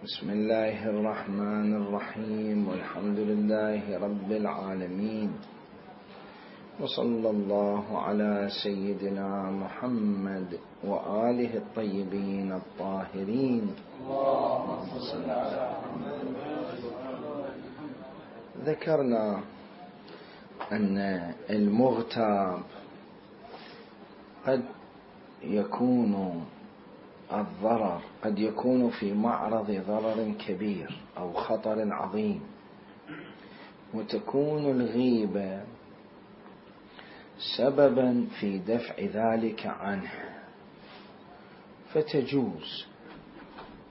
بسم الله الرحمن الرحيم، والحمد لله رب العالمين، وصلى الله على سيدنا محمد وآله الطيبين الطاهرين. ذكرنا أن المغتاب قد يكون الضرر قد يكون في معرض ضرر كبير أو خطر عظيم، وتكون الغيبة سببا في دفع ذلك عنه، فتجوز،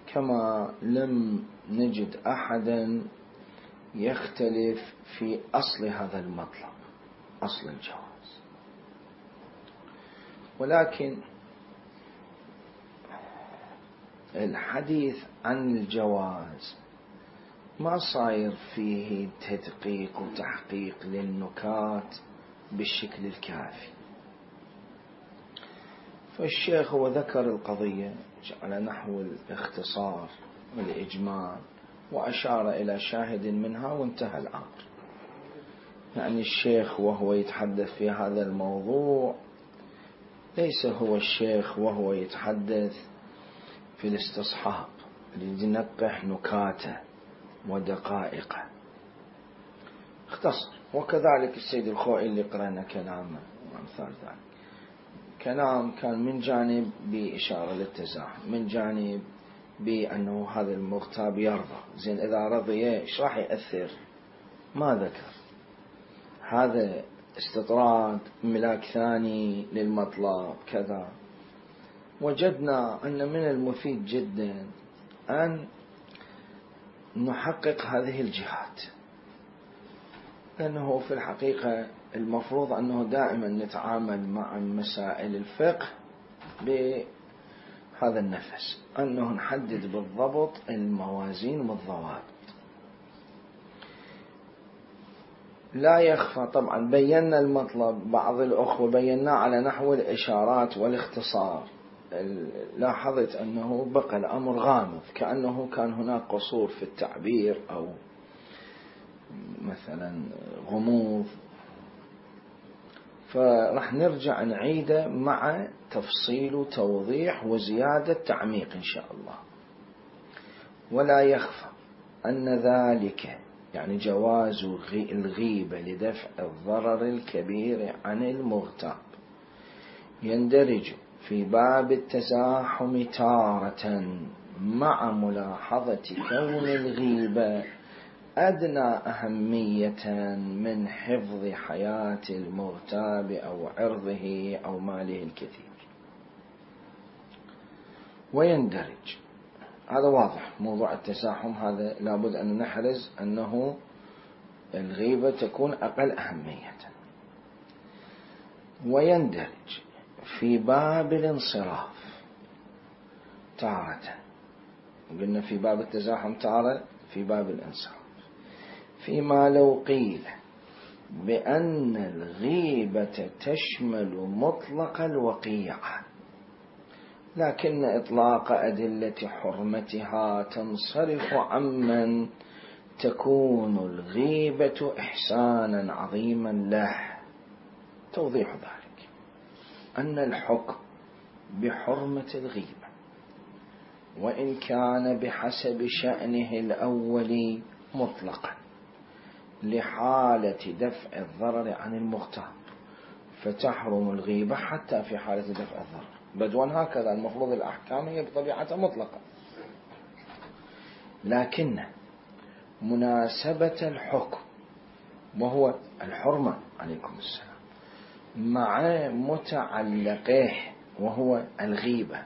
كما لم نجد أحدا يختلف في أصل هذا المطلب، أصل الجواز. ولكن الحديث عن الجواز ما صاير فيه تدقيق وتحقيق للنكات بالشكل الكافي، فالشيخ هو ذكر القضية على نحو الاختصار والإجمال، وأشار إلى شاهد منها وانتهى الأمر. يعني الشيخ وهو يتحدث في هذا الموضوع ليس هو الشيخ وهو يتحدث في الاستصحاب لينقح نكاته ودقائقه، اختصر. وكذلك السيد الخوئي اللي قرأنا كلامه وأمثال ذلك، كلام كان من جانب بإشارة للتزاحم، من جانب بأنه هذا المغتاب يرضى. زين، إذا رضي إيش راح يأثر؟ ما ذكر. هذا استطراد، ملاك ثاني للمطلب كذا. وجدنا أن من المفيد جدا أن نحقق هذه الجهات، لأنه في الحقيقة المفروض أنه دائما نتعامل مع مسائل الفقه بهذا النفس، أنه نحدد بالضبط الموازين والضوابط. لا يخفى طبعا بينا المطلب، بعض الأخوة بينا على نحو الإشارات والاختصار، لاحظت أنه بقى الأمر غامض، كأنه كان هناك قصور في التعبير أو مثلا غموض، فرح نرجع نعيده مع تفصيل وتوضيح وزيادة تعميق إن شاء الله. ولا يخفى أن ذلك يعني جواز الغيبة لدفع الضرر الكبير عن المغتاب يندرج في باب التزاحم تارة، مع ملاحظة كون الغيبة أدنى أهمية من حفظ حياة المغتاب أو عرضه أو ماله الكثير. ويندرج، هذا واضح، موضوع التزاحم هذا لابد أن نحرز أنه الغيبة تكون أقل أهمية. ويندرج في باب الانصراف تارة، قلنا في باب التزاحم تارة، في باب الانصراف، فيما لو قيل بأن الغيبة تشمل مطلق الوقيعة، لكن إطلاق أدلة حرمتها تنصرف عمن تكون الغيبة إحسانا عظيما له. توضيح ذلك أن الحكم بحرمة الغيبة وإن كان بحسب شأنه الأول مطلقا لحالة دفع الضرر عن المغتاب، فتحرم الغيبة حتى في حالة دفع الضرر بدون. هكذا المفروض الأحكام هي بطبيعتها مطلقة، لكن مناسبة الحكم وهو الحرمة عليكم السلام مع متعلقه وهو الغيبة،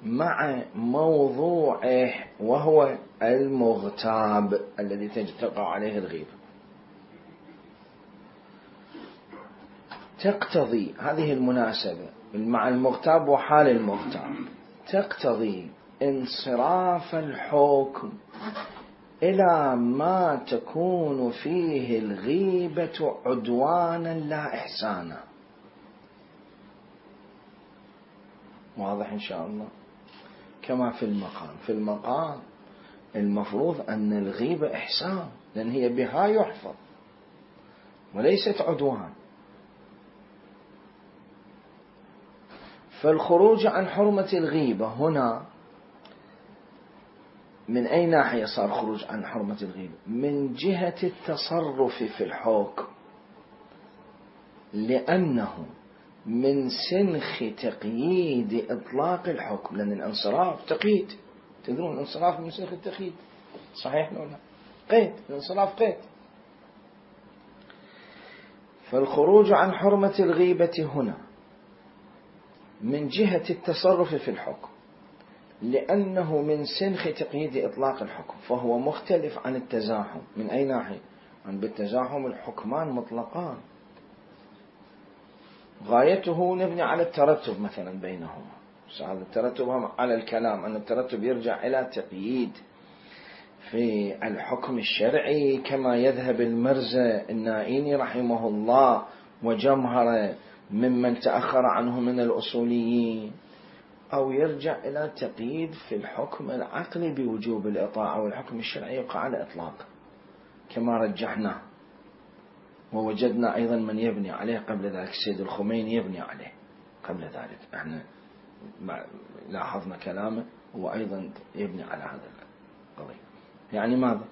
مع موضوعه وهو المغتاب الذي تقع عليه الغيبة، تقتضي هذه المناسبة مع المغتاب وحال المغتاب تقتضي انصراف الحكم إلى ما تكون فيه الغيبة عدوانا لا إحسانا. واضح إن شاء الله؟ كما في المقام. في المقام المفروض أن الغيبة إحسان، لأن هي بها يحفظ وليست عدوان. فالخروج عن حرمة الغيبة هنا من أي ناحية صار خروج عن حرمة الغيبة؟ من جهة التصرف في الحكم، لأنه من سنخ تقييد إطلاق الحكم، لأن الانصراف تقييد، تدرون الانصراف من سنخ التقييد، صحيح ولا قيد؟ الانصراف قيد. فالخروج عن حرمة الغيبة هنا من جهة التصرف في الحكم، لأنه من سنخ تقييد إطلاق الحكم، فهو مختلف عن التزاحم. من أي ناحية؟ عن بالتزاحم الحكمان مطلقان، غايته نبني على الترتب مثلا بينهما. هذا الترتب على الكلام، أن الترتب يرجع إلى تقييد في الحكم الشرعي، كما يذهب المرزا النائيني رحمه الله وجمهرة ممن تأخر عنه من الأصوليين، أو يرجع إلى تقييد في الحكم العقلي بوجوب الإطاعة، والحكم الشرعي يقع على إطلاق كما رجحنا. ووجدنا أيضا من يبني عليه قبل ذلك، السيد الخميني يبني عليه قبل ذلك، احنا لاحظنا كلامه، هو أيضا يبني على هذا القضية. يعني ماذا؟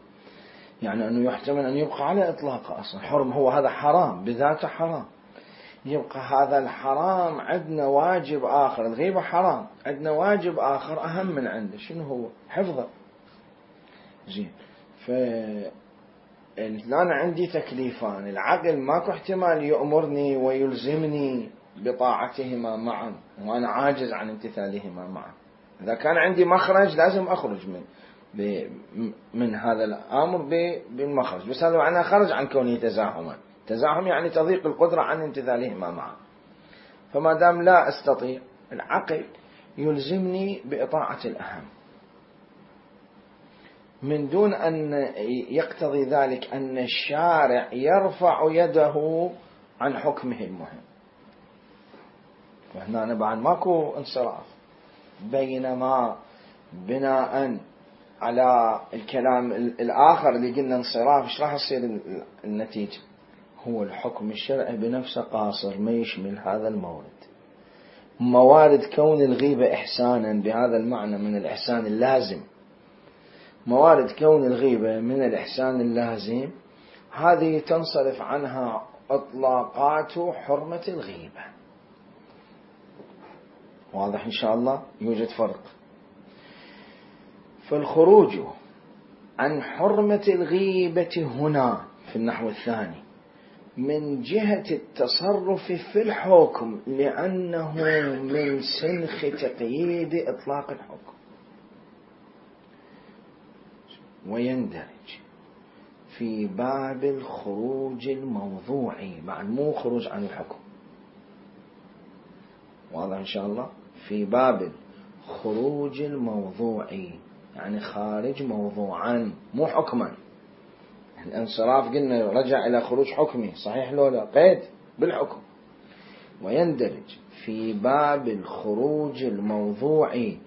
يعني أنه يحتمل أن يبقى على إطلاقه أصلا حرم، هو هذا حرام بذاته حرام، يبقى هذا الحرام عندنا واجب آخر، الغيبة حرام، عندنا واجب آخر أهم من عنده، شنو هو؟ حفظه. زين، أنا عندي تكليفان، العقل ماكو احتمال يأمرني ويلزمني بطاعتهما معا، وأنا عاجز عن امتثالهما معا. إذا كان عندي مخرج لازم أخرج من هذا الأمر بالمخرج، بس هذا معناه خرج عن كونه تزاحما. تزاحم يعني تضيق القدرة عن امتثالهما معا. فما دام لا أستطيع، العقل يلزمني بإطاعة الأهم، من دون أن يقتضي ذلك أن الشارع يرفع يده عن حكمه المهم. فهنا بعد ماكو انصراف، بينما بناء على الكلام الآخر اللي قلنا انصراف، ايش راح يصير النتيجة؟ هو الحكم الشرعي بنفسه قاصر، ما يشمل هذا المورد. موارد كون الغيبة إحسانا بهذا المعنى من الإحسان اللازم، موارد كون الغيبة من الإحسان اللازم، هذه تنصرف عنها إطلاقات حرمة الغيبة. واضح إن شاء الله؟ يوجد فرق. فالخروج عن حرمة الغيبة هنا في النحو الثاني من جهة التصرف في الحكم، لأنه من سنخ تقييد إطلاق الحكم، ويندرج في باب الخروج الموضوعي، بعد مو خروج عن الحكم. واضح إن شاء الله؟ في باب الخروج الموضوعي، يعني خارج موضوعا مو حكما. الانصراف قلنا رجع إلى خروج حكمي، صحيح لو لا؟ قيد بالحكم. ويندرج في باب الخروج الموضوعي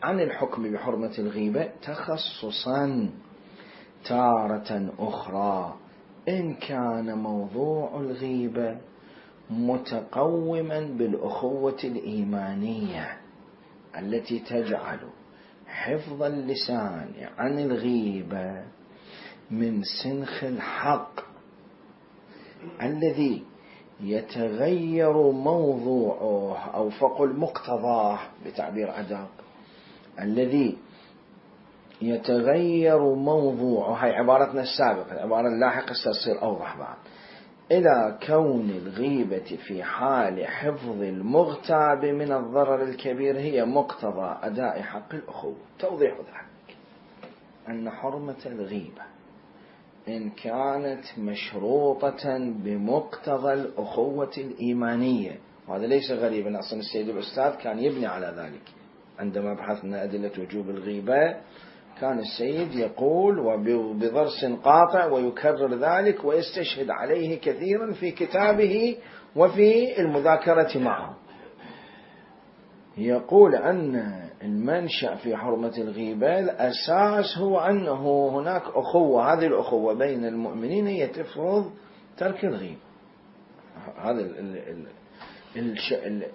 عن الحكم بحرمة الغيبة تخصصا تارة أخرى، إن كان موضوع الغيبة متقوما بالأخوة الإيمانية التي تجعل حفظ اللسان عن الغيبة من سنخ الحق الذي يتغير موضوعه، أو فقل مقتضاه بتعبير أدق، الذي يتغير موضوعه، هاي عبارتنا السابقة، العبارة اللاحقة ستصير أوضح بعد، إلى كون الغيبة في حال حفظ المغتاب من الضرر الكبير هي مقتضى أداء حق الأخوة. توضيح ذلك أن حرمة الغيبة إن كانت مشروطة بمقتضى الأخوة الإيمانية، وهذا ليس غريبا، أصلا السيد الأستاذ كان يبني على ذلك. عندما بحثنا أدلة وجوب الغيبة كان السيد يقول وبضرس قاطع ويكرر ذلك ويستشهد عليه كثيرا في كتابه وفي المذاكرة معه. يقول أن المنشأ في حرمة الغيبة الأساس هو أنه هناك أخوة، هذه الأخوة بين المؤمنين هي تفرض ترك الغيبة. هذا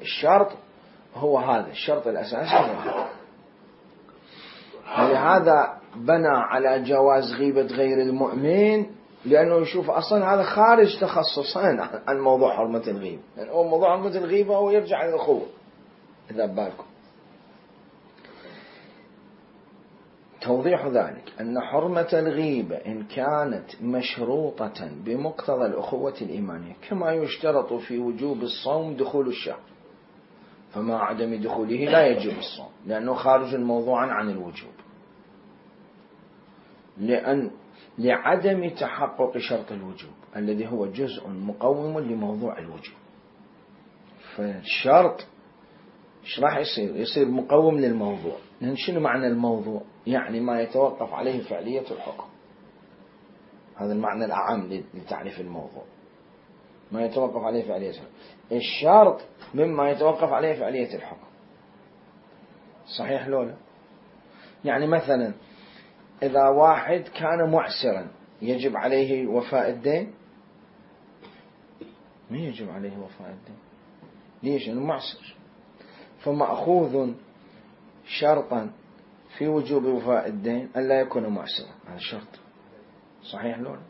الشرط هو هذا الشرط الأساسي هو هذا. ولهذا بنى على جواز غيبة غير المؤمن، لأنه يشوف أصلا هذا خارج تخصصين عن موضوع حرمة الغيبة، يعني هو موضوع حرمة الغيبة هو يرجع للأخوة. إذا بالكم توضيح ذلك أن حرمة الغيبة إن كانت مشروطة بمقتضى الأخوة الإيمانية، كما يشترط في وجوب الصوم دخول الشهر، فمع عدم دخوله لا يجب الصوم لأنه خارج موضوعا عن الوجوب، لعدم تحقق شرط الوجوب الذي هو جزء مقوم لموضوع الوجوب. فالشرط ايش راح يصير مقوم للموضوع. لأن شنو معنى الموضوع؟ يعني ما يتوقف عليه فعلية الحكم. هذا المعنى الأعم لتعريف الموضوع، ما يتوقف عليه فعلية الحكم. الشرط مما يتوقف عليه فعلية الحكم. صحيح لولا؟ يعني مثلا إذا واحد كان معسرا يجب عليه وفاء الدين؟ ما يجب عليه وفاء الدين. ليش؟ لأنه معسر، فمأخوذ شرطا في وجوب وفاء الدين ألا يكون معسرا. هذا شرط. صحيح لولا؟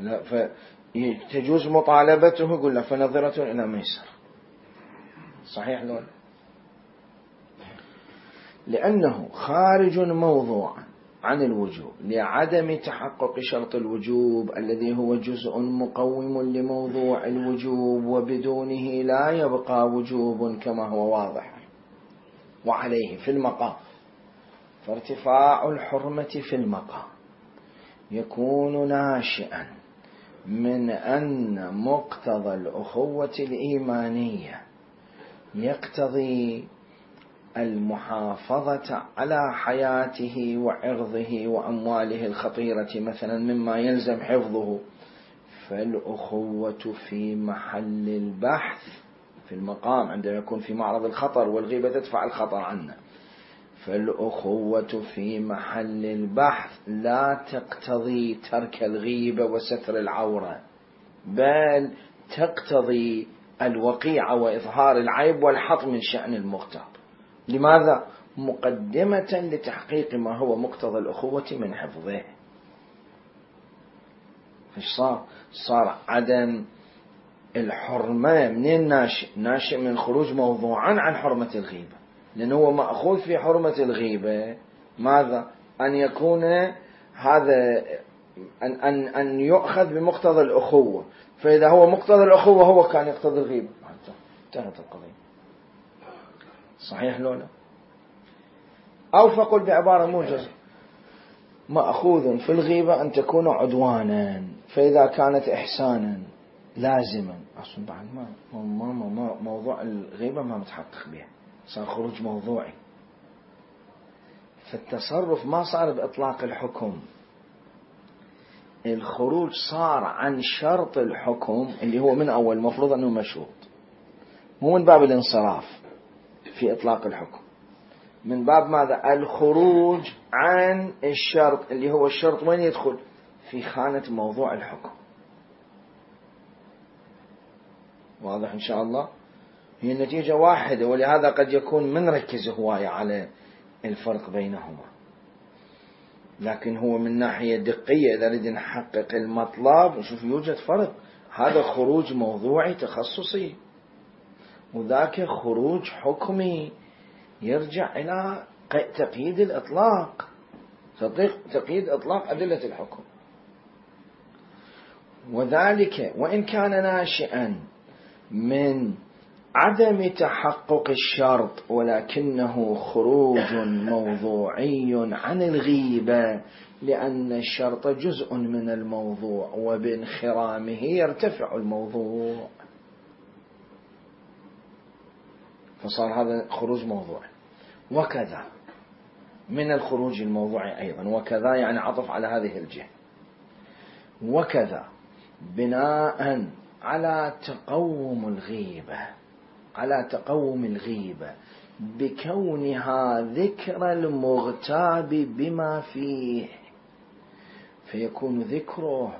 لا، فتجوز مطالبته، يقول له فنظرة إلى ميسر. صحيح لولا؟ لأنه خارج موضوعا عن الوجوب لعدم تحقق شرط الوجوب الذي هو جزء مقوم لموضوع الوجوب، وبدونه لا يبقى وجوب كما هو واضح. وعليه في المقام، فارتفاع الحرمة في المقام يكون ناشئا من أن مقتضى الأخوة الإيمانية يقتضي المحافظة على حياته وعرضه وأمواله الخطيرة مثلا مما يلزم حفظه، فالأخوة في محل البحث في المقام عندما يكون في معرض الخطر، والغيبة تدفع الخطر عنه. فالأخوة في محل البحث لا تقتضي ترك الغيبة وستر العورة، بل تقتضي الوقيعة وإظهار العيب والحط من شأن المغتاب. لماذا؟ مقدمة لتحقيق ما هو مقتضى الأخوة من حفظه. فايش صار عدم الحرمة منين ناشئ من خروج موضوعا عن حرمة الغيبة، لأنه هو مأخوذ في حرمة الغيبة ماذا؟ أن يكون هذا أن يؤخذ بمقتضى الأخوة، فإذا هو مقتضى الأخوة هو كان يقتضي الغيبة، انتهت القضية. صحيح لولا؟ أو فقل بعبارة موجزة، مأخوذ في الغيبة أن تكون عدوانا، فإذا كانت إحسانا لازما أصلا بعد ما موضوع الغيبة ما متحقق بها، صار خروج موضوعي. فالتصرف ما صار بإطلاق الحكم، الخروج صار عن شرط الحكم اللي هو من أول مفروض أنه مشروط، مو من باب الانصراف في إطلاق الحكم، من باب ماذا؟ الخروج عن الشرط اللي هو الشرط وين يدخل؟ في خانة موضوع الحكم. واضح إن شاء الله؟ هي النتيجة واحدة، ولهذا قد يكون منركز هواية على الفرق بينهما، لكن هو من ناحية دقية إذا نريد نحقق المطلب نشوف يوجد فرق. هذا خروج موضوعي تخصصي، وذاك خروج حكمي يرجع إلى تقييد الإطلاق، تقييد إطلاق أدلة الحكم. وذلك وإن كان ناشئا من عدم تحقق الشرط، ولكنه خروج موضوعي عن الغيبة، لأن الشرط جزء من الموضوع وبانخرامه يرتفع الموضوع، فصار هذا خروج موضوعي. وكذا من الخروج الموضوعي أيضا، وكذا يعني عطف على هذه الجهة، وكذا بناء على تقوم الغيبة بكونها ذكر المغتاب بما فيه، فيكون ذكره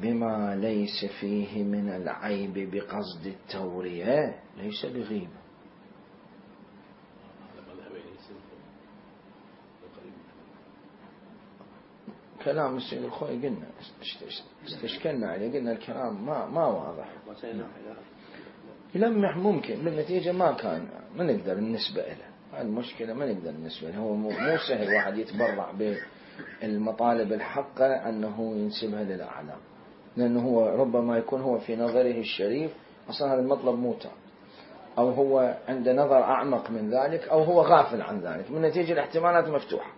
بما ليس فيه من العيب بقصد التورية ليس بغيبة. كلام السيد الخوئي قلنا استشكلنا عليه، قلنا الكلام ما واضح، يلمح ممكن بالنتيجة ما نقدر النسبة له، المشكلة ما نقدر النسبة له. هو مو سهل واحد يتبرع بالمطالب الحقة أنه ينسبها للأعلام، لأنه هو ربما يكون هو في نظره الشريف أصلا هذا المطلب موتى، أو هو عنده نظر أعمق من ذلك، أو هو غافل عن ذلك، من نتيجة الاحتمالات مفتوحة.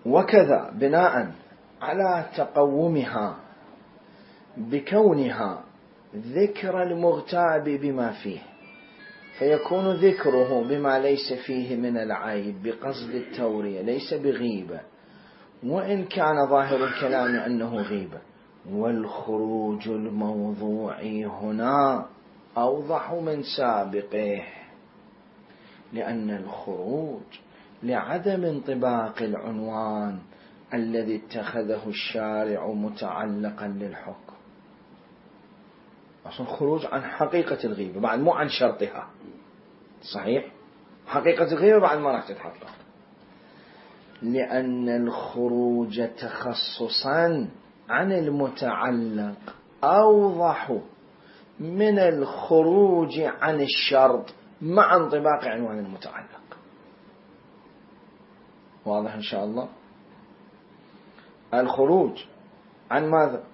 وكذا بناء على تقومها بكونها ذكر المغتاب بما فيه، فيكون ذكره بما ليس فيه من العيب بقصد التورية ليس بغيبة، وإن كان ظاهر الكلام أنه غيبة. والخروج الموضوعي هنا أوضح من سابقه، لأن الخروج لعدم انطباق العنوان الذي اتخذه الشارع متعلقا للحكم. أصلا خروج عن حقيقة الغيبة بعد، مو عن شرطها، صحيح؟ حقيقة الغيبة بعد ما راح تتحقق، لأن الخروج تخصصا عن المتعلق أوضح من الخروج عن الشرط مع انطباق عنوان المتعلق. واضح إن شاء الله؟ الخروج عن ماذا؟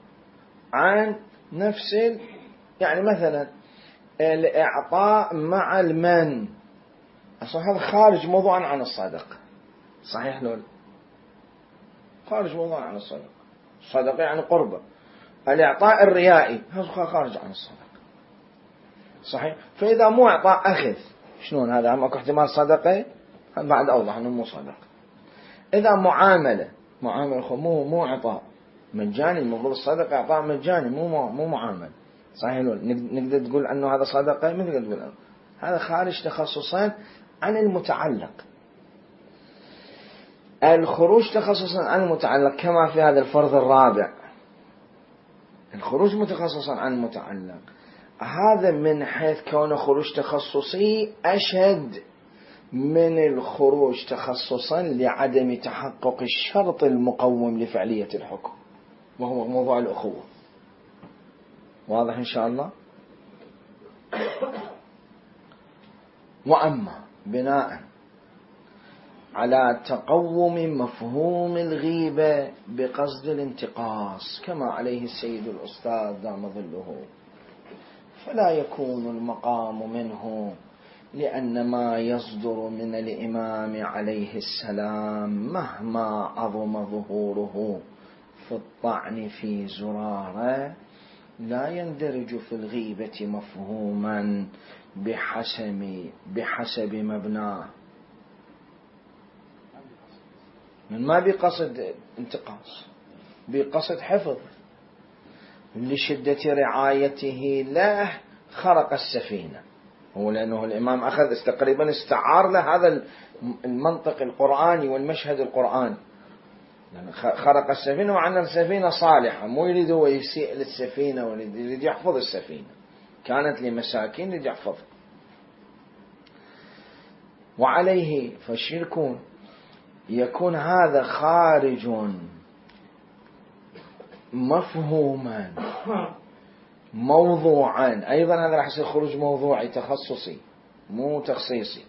عن نفس يعني مثلا الإعطاء مع المن، أصلا هذا خارج موضوعا عن الصدقة، صحيح لول؟ خارج موضوعا عن الصدقة. الصدقة يعني قربة. الإعطاء الريائي هذا خارج عن الصدقة، صحيح؟ فإذا مو إعطاء أخذ، شلون هذا؟ هم أكو احتمال صدقة بعد أوضح أنه مو صدقة. إذا معاملة مو إعطاء مجاني، المفروض الصدقة إعطاء مجاني مو معامل، صحيح لول؟ نقدر تقول أنه هذا صدقة؟ ما نقدر تقول هذا خارج تخصصا عن المتعلق. الخروج تخصصا عن المتعلق كما في هذا الفرض الرابع، الخروج متخصصا عن المتعلق، هذا من حيث كونه خروج تخصصي أشد من الخروج تخصصا لعدم تحقق الشرط المقوم لفعلية الحكم، وهو موضوع الأخوة. واضح إن شاء الله؟ وأما بناء على تقوم مفهوم الغيبة بقصد الانتقاص كما عليه السيد الأستاذ دام ظله، فلا يكون المقام منه، لأن ما يصدر من الإمام عليه السلام مهما عظم ظهوره في الطعن في زرارة لا يندرج في الغيبة مفهوما بحسب مبناه، من ما بقصد انتقاص، بقصد حفظ، لشدة رعايته له خرق السفينة. هو لأنه الإمام أخذ تقريبا استعار له هذا المنطق القرآني والمشهد القرآني، يعني خرق السفينة، وعن السفينة صالحة، مو يريد هو يسيء للسفينة، ويريد يحفظ السفينة، كانت لمساكين يريد يحفظ. وعليه فالشرك يكون هذا خارج مفهوما موضوعا، أيضا هذا راح يصير خروج موضوعي تخصصي مو تخصيصي،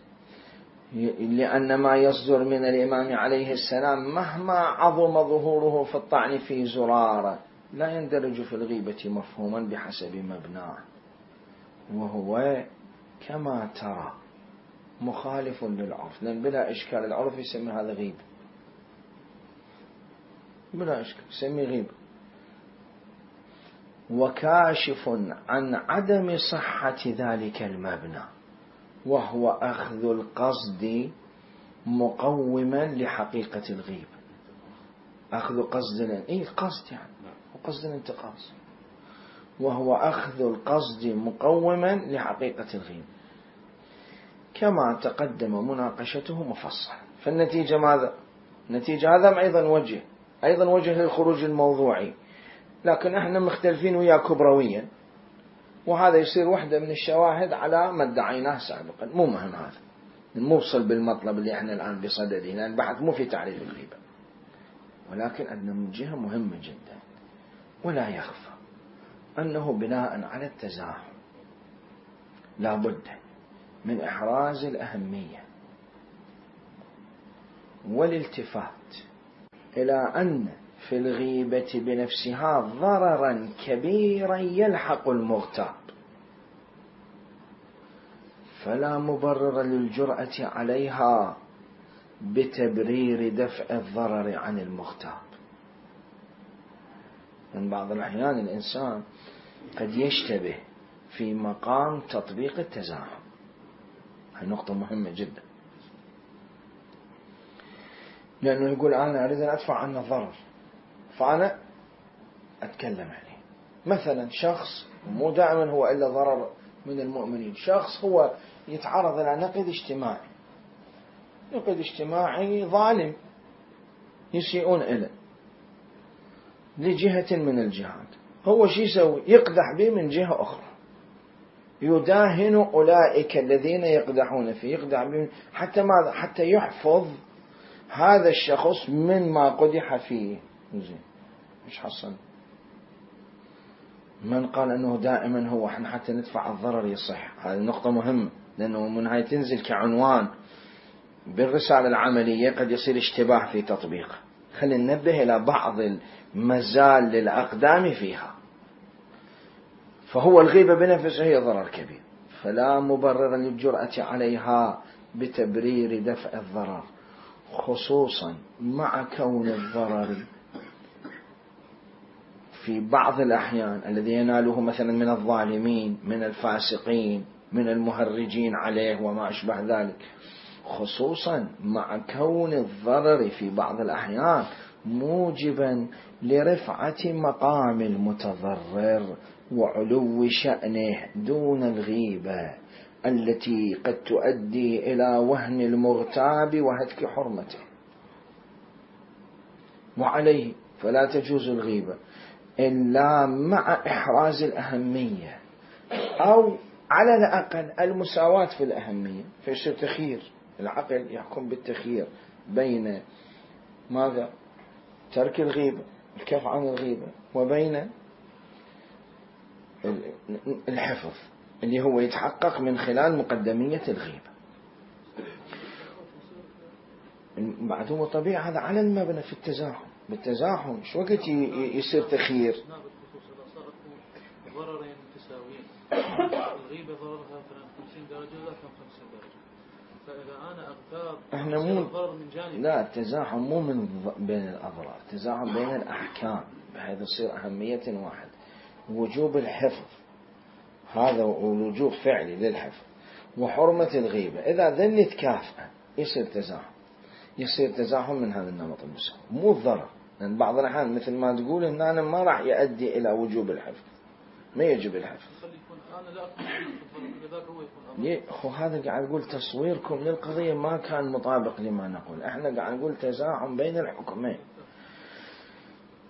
لأن ما يصدر من الإمام عليه السلام مهما عظم ظهوره في الطعن في زرارة لا يندرج في الغيبة مفهوما بحسب مبناه، وهو كما ترى مخالف للعرف، لأن بلا إشكال العرف يسمي هذا غيبة، بلا إشكال يسمي غيبة، وكاشف عن عدم صحة ذلك المبنى، وهو أخذ القصد مقوما لحقيقة الغيبة. أخذ قصد قصد يعني وقصد الانتقاص، وهو أخذ القصد مقوما لحقيقة الغيبة، كما تقدم مناقشته مفصلا. فالنتيجة ماذا؟ النتيجة هذا أيضا وجه للخروج الموضوعي، لكن احنا مختلفين وياه كبرويا، وهذا يصير واحدة من الشواهد على ما ادعيناه سابقا. مو مهم هذا، نوصل بالمطلب اللي احنا الآن بصدده، لأن البحث مو في تعريف الغيبة، ولكن أن من جهة مهمة جدا ولا يخفى أنه بناء على التزاحم لا بد من إحراز الأهمية والالتفات إلى أن في الغيبة بنفسها ضررا كبيرا يلحق المغتاب، فلا مبرر للجرأة عليها بتبرير دفع الضرر عن المغتاب. من بعض الأحيان الإنسان قد يشتبه في مقام تطبيق التزاحم، هذه نقطة مهمة جدا، لأنه يقول أنا أريد أن أدفع عنه الضرر فأنا أتكلم عليه. مثلا شخص، مو دائما هو إلا ضرر من المؤمنين، شخص هو يتعرض إلى نقد اجتماعي ظالم يسيئون إليه لجهة من الجهات، هو شو يسوي؟ يقدح به من جهة أخرى، يداهن أولئك الذين يقدحون فيه، يقدح به حتى ماذا؟ حتى يحفظ هذا الشخص من ما قدح فيه. زين، مش حصل من قال أنه دائما هو احنا حتى ندفع الضرر يصح. هذه نقطة مهمة، لأنه من هاي تنزل كعنوان بالرسالة العملية قد يصير اشتباه في تطبيقه. خلينا ننبه إلى بعض المزال للأقدام فيها. فهو الغيبة بنفسها هي ضرر كبير، فلا مبرر للجرأة عليها بتبرير دفع الضرر، خصوصا مع كون الضرر في بعض الأحيان الذي يناله مثلا من الظالمين، من الفاسقين، من المهرجين عليه وما أشبه ذلك، خصوصا مع كون الضرر في بعض الأحيان موجبا لرفعة مقام المتضرر وعلو شأنه دون الغيبة التي قد تؤدي إلى وهن المغتاب وهتك حرمته. وعليه فلا تجوز الغيبة إلا مع إحراز الأهمية، أو على الأقل المساواة في الأهمية، فيصير تخيير، العقل يحكم بالتخيير بين ماذا؟ ترك الغيبة، الكف عن الغيبة، وبين الحفظ اللي هو يتحقق من خلال مقدمية الغيبة. بعد طبيعي هذا على المبنى في التزاحم. بالتزاحم شو وقت يصير تخيير؟ ضررين متساويين، الغيبة ضررها 50 درجة ولا 50 درجة، فإذا أنا أغتاب احنا مو ضرر من جانب. لا، التزاحم مو من بين الأضرار، التزاحم بين الأحكام، بحيث يصير أهمية واحد. وجوب الحفظ هذا وجوب فعلي للحفظ، وحرمة الغيبة، إذا ذن يتكافئ يصير تزاحم من هذا النمط المساوي، مو الضرر. لأن بعض الأحيان مثل ما تقول إن أنا ما راح يؤدي إلى وجوب الحفظ، ما يجب الحفظ. هذا قاعد أقول تصويركم للقضية ما كان مطابق لما نقول، احنا قاعد نقول تزاحم بين الحكمين.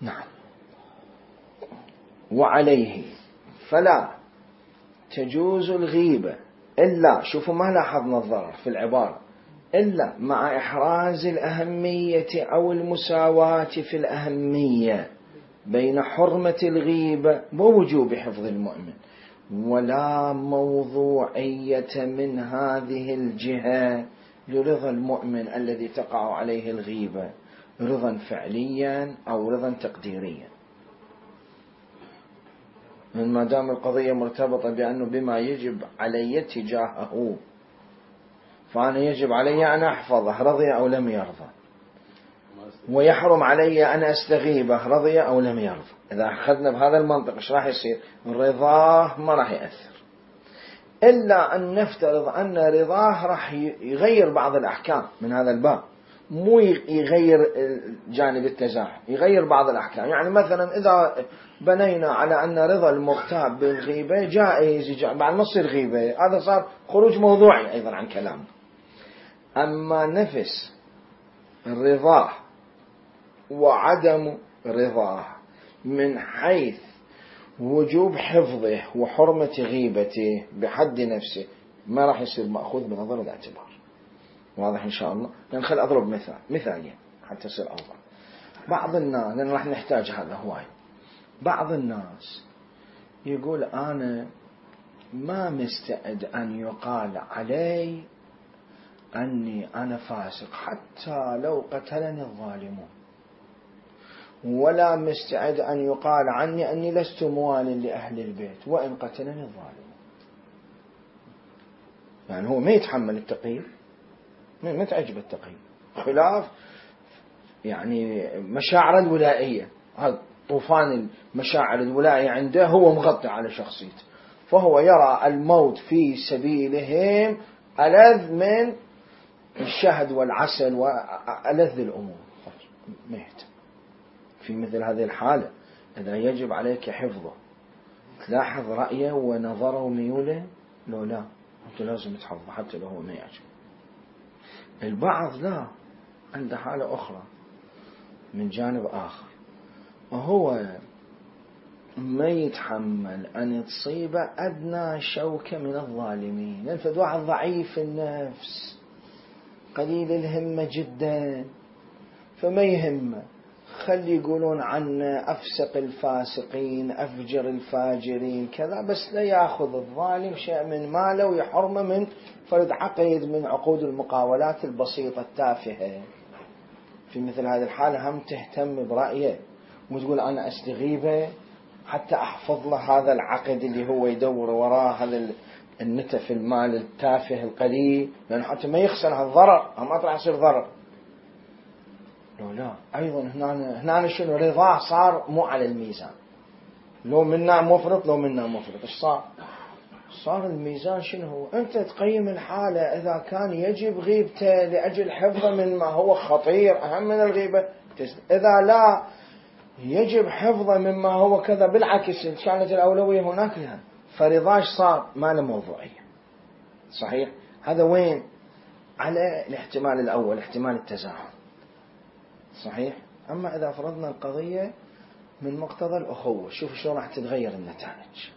نعم. وعليه فلا تجوز الغيبة إلا، شوفوا ما لاحظنا الضرر في العبارة، إلا مع إحراز الأهمية أو المساواة في الأهمية بين حرمة الغيبة ووجوب حفظ المؤمن، ولا موضوعية من هذه الجهة لرضا المؤمن الذي تقع عليه الغيبة، رضا فعليا أو رضا تقديريا. من ما دام القضية مرتبطة بأنه بما يجب علي تجاهه، فأنا يجب علي أن أحفظه رضي أو لم يرضى، ويحرم علي أن أستغيبه رضي أو لم يرضى. إذا أخذنا بهذا المنطق إيش راح يصير؟ رضاه ما راح يأثر، إلا أن نفترض أن رضاه راح يغير بعض الأحكام من هذا الباب، مو يغير جانب التزاحم، يغير بعض الأحكام. يعني مثلا إذا بنينا على أن رضا المغتاب بالغيبة جائز بعد ما تصير غيبة، هذا صار خروج موضوعي أيضا عن كلام. أما نفس الرضا وعدم رضاه من حيث وجوب حفظه وحرمة غيبته بحد نفسه ما راح يصير مأخوذ بنظر الاعتبار. واضح إن شاء الله؟ يعني خل أضرب مثالين حتى يصير أوضح. بعض الناس، لأن راح نحتاج هذا هواي، بعض الناس يقول أنا ما مستعد أن يقال علي أني أنا فاسق حتى لو قتلني الظالمون، ولا مستعد أن يقال عني أني لست موال لأهل البيت وإن قتلني الظالمون. يعني هو ما يتحمل التقييد، ما تعجب التقييد، خلاف يعني مشاعر الولائية. هذا طوفان المشاعر الولائية عنده هو مغطي على شخصيته، فهو يرى الموت في سبيلهم ألذ من الشهد والعسل وألذ الأمور. ما يهتم. في مثل هذه الحالة إذا يجب عليك حفظه، تلاحظ رأيه ونظره وميوله، لو لا أنت لازم تحفظه حتى لو هو ما يعجب. البعض لا، عنده حالة أخرى من جانب آخر، وهو ما يتحمل أن تصيب أدنى شوكة من الظالمين. ينفذ واحد ضعيف النفس قليل الهمة جدا، فما يهمه، خلي يقولون عنه أفسق الفاسقين أفجر الفاجرين كذا، بس لا يأخذ الظالم شيء من ماله ويحرمه من فرد عقيد من عقود المقاولات البسيطة التافهة. في مثل هذه الحالة هم تهتم برأيه وتقول أنا أستغيبه حتى أحفظ له هذا العقد اللي هو يدور وراه، هذا النتف المال التافه القليل، لأنه حتى ما يخسر هالضرر، ما راح يصير ضرر. لا أيضا هنا شنو رضاه صار مو على الميزان، لو منا مفرط لو منا مفرط. إيش صار الميزان شنو هو؟ أنت تقيم الحالة، إذا كان يجب غيبته لأجل حفظه من ما هو خطير أهم من الغيبة، إذا لا يجب حفظه مما هو كذا بالعكس كانت الأولوية هناك لها، فرضاش صار ما له موضوعية. صحيح؟ هذا وين؟ على الاحتمال الأول، احتمال التزاحم. صحيح؟ أما إذا فرضنا القضية من مقتضى الأخوة، شوف شو راح تتغير النتائج،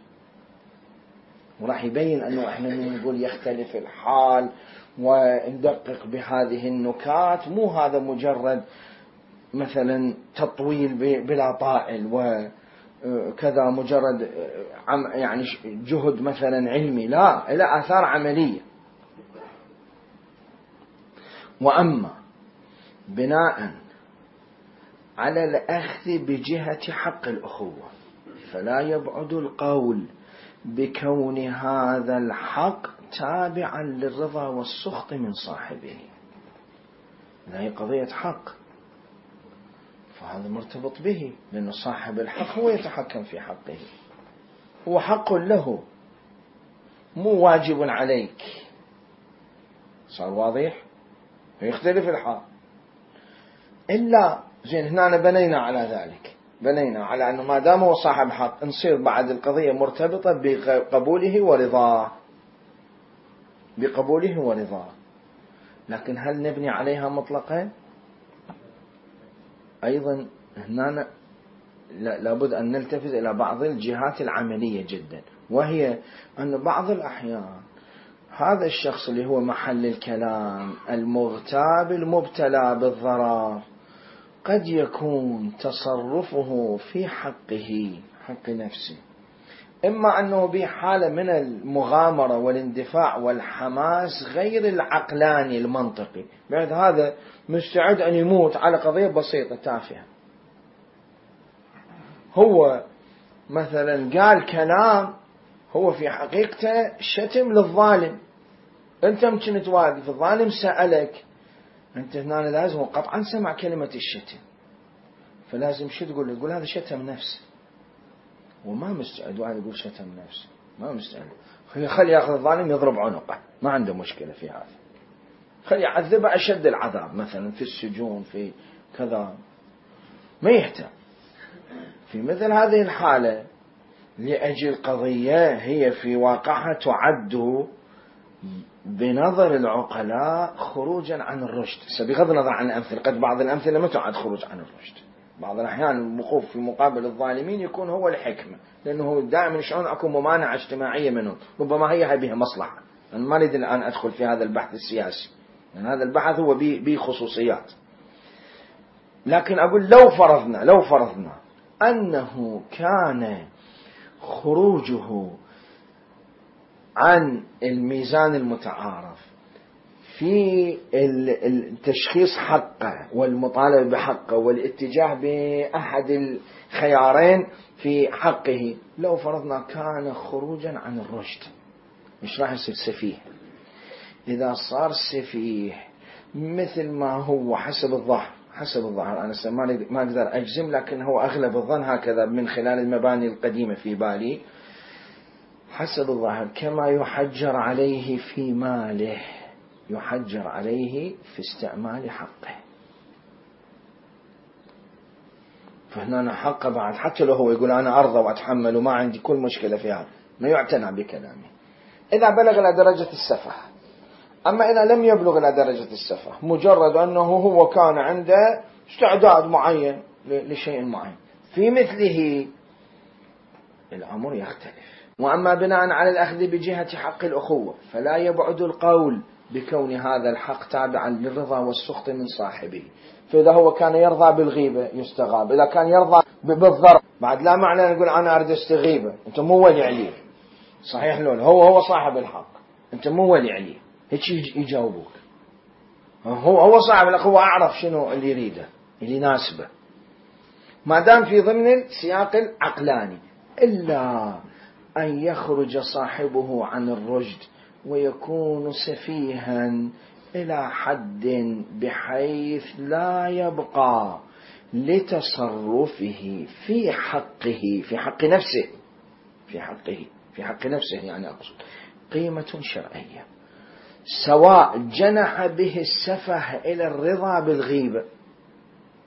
وراح يبين أنه إحنا نقول يختلف الحال وندقق بهذه النكات، مو هذا مجرد مثلا تطويل بلا طائل وكذا مجرد يعني جهد مثلا علمي، لا، إلى آثار عملية. وأما بناء على الأخذ بجهة حق الأخوة، فلا يبعد القول بكون هذا الحق تابعا للرضا والسخط من صاحبه. هذه قضية حق، فهذا مرتبط به، لأن صاحب الحق هو يتحكم في حقه، هو حق له مو واجب عليك. صار واضح؟ يختلف الحال. إلا زين هنا بنينا على ذلك، بنينا على أنه ما دام هو صاحب حق نصير بعد القضية مرتبطة بقبوله ورضاه، بقبوله ورضاه. لكن هل نبني عليها مطلقا؟ أيضا هنا لابد أن نلتفت إلى بعض الجهات العملية جدا، وهي أن بعض الأحيان هذا الشخص اللي هو محل الكلام المغتاب المبتلى بالضرر قد يكون تصرفه في حقه، حق نفسه، إما أنه بحالة من المغامرة والاندفاع والحماس غير العقلاني المنطقي، بعد هذا مستعد أن يموت على قضية بسيطة تافهة. هو مثلا قال كلام هو في حقيقته شتم للظالم، أنت ممكن تواقف، الظالم سألك، أنت هنا لازم قطعا سمع كلمة الشتم، فلازم شو تقول؟ تقول هذا شتم نفسه، وما مستعد واحد يقول شتم نفسه، ما مستعد، خلي ياخذ الظالم يضرب عنقه، ما عنده مشكلة في هذا. خلي يعذبه أشد العذاب مثلا في السجون في كذا، ما يحتاج. في مثل هذه الحالة لأجل قضية هي في واقعها تعد بنظر العقلاء خروجا عن الرشد، بغض النظر عن الأمثلة، قد بعض الأمثلة ما تعد خروج عن الرشد، بعض الأحيان الوقوف في مقابل الظالمين يكون هو الحكمة، لأنه دائما يشعرون أكو ممانعة اجتماعية منهم، ربما هي بها مصلحة. أنا ما أريد الآن أدخل في هذا البحث السياسي، لأن هذا البحث هو بخصوصيات. لكن أقول لو فرضنا أنه كان خروجه عن الميزان المتعارف في التشخيص حقه والمطالبة بحقه والاتجاه بأحد الخيارين في حقه، لو فرضنا كان خروجا عن الرشد، مش راح يصير سفيه. إذا صار سفيه مثل ما هو حسب الظاهر أنا ما أقدر أجزم، لكن هو أغلب الظن هكذا من خلال المباني القديمة في بالي، حسب الظاهر كما يحجر عليه في ماله يحجر عليه في استعمال حقه. فهنا حقه بعد، حتى لو هو يقول أنا أرضى وأتحمل وما عندي كل مشكلة في هذا، ما يعتنى بكلامه إذا بلغ إلى درجة السفه. أما إذا لم يبلغ إلى درجة السفه، مجرد أنه هو كان عنده استعداد معين لشيء معين، في مثله الأمر يختلف. وأما بناء على الأخذ بجهة حق الأخوة فلا يبعد القول بكون هذا الحق تابعا للرضا والسخط من صاحبه. فإذا هو كان يرضى بالغيبة يستغاب، إذا كان يرضى بالضرب بعد لا معنى نقول أنا أريد استغيبة، أنت مو ولي عليه. صحيح لون هو صاحب الحق، أنت مو ولي عليه، هيك يجاوبوك. هو صاحب الحق، هو أعرف شنو اللي يريده اللي يناسبه، ما دام في ضمن السياق العقلاني. إلا أن يخرج صاحبه عن الرشد ويكون سفيها إلى حد بحيث لا يبقى لتصرفه في حق نفسه يعني أقصد قيمة شرعية، سواء جنح به السفه إلى الرضا بالغيبة،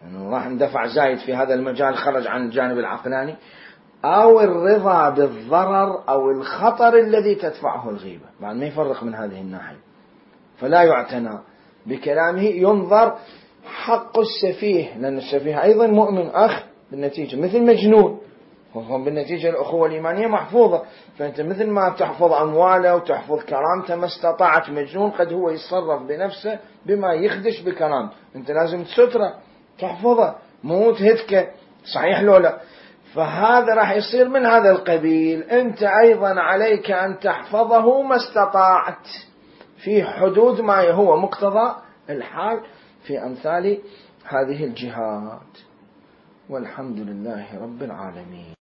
يعني راح اندفع زايد في هذا المجال خرج عن الجانب العقلاني، أو الرضا بالضرر أو الخطر الذي تدفعه الغيبة، بعد ما يفرق من هذه الناحية، فلا يعتنى بكلامه. ينظر حق السفيه، لأن السفيه أيضا مؤمن أخ بالنتيجة مثل مجنون، وهم بالنتيجة الأخوة الإيمانية محفوظة. فأنت مثل ما تحفظ أمواله وتحفظ كرامته، ما استطاعت مجنون قد هو يتصرف بنفسه بما يخدش بكرامته، أنت لازم تستره تحفظه مو تهتكه، صحيح لولا. فهذا راح يصير من هذا القبيل. أنت أيضا عليك أن تحفظه ما استطاعت في حدود ما هو مقتضى الحال في أمثال هذه الجهات. والحمد لله رب العالمين.